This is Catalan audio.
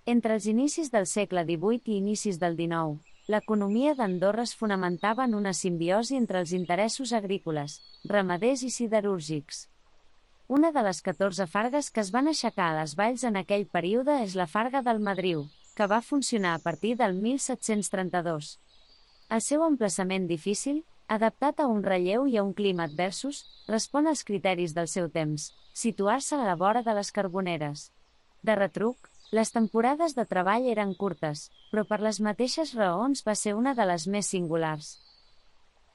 Entre els inicis del segle XVIII i inicis del XIX, l'economia d'Andorra es fonamentava en una simbiosi entre els interessos agrícoles, ramaders i siderúrgics. Una de les 14 fargues que es van aixecar a les valls en aquell període és la Farga del Madriu, que va funcionar a partir del 1732. El seu emplaçament difícil, adaptat a un relleu i a un clima adversos, respon als criteris del seu temps, situar-se a la vora de les Carboneres. De retruc, les temporades de treball eren curtes, però per les mateixes raons va ser una de les més singulars.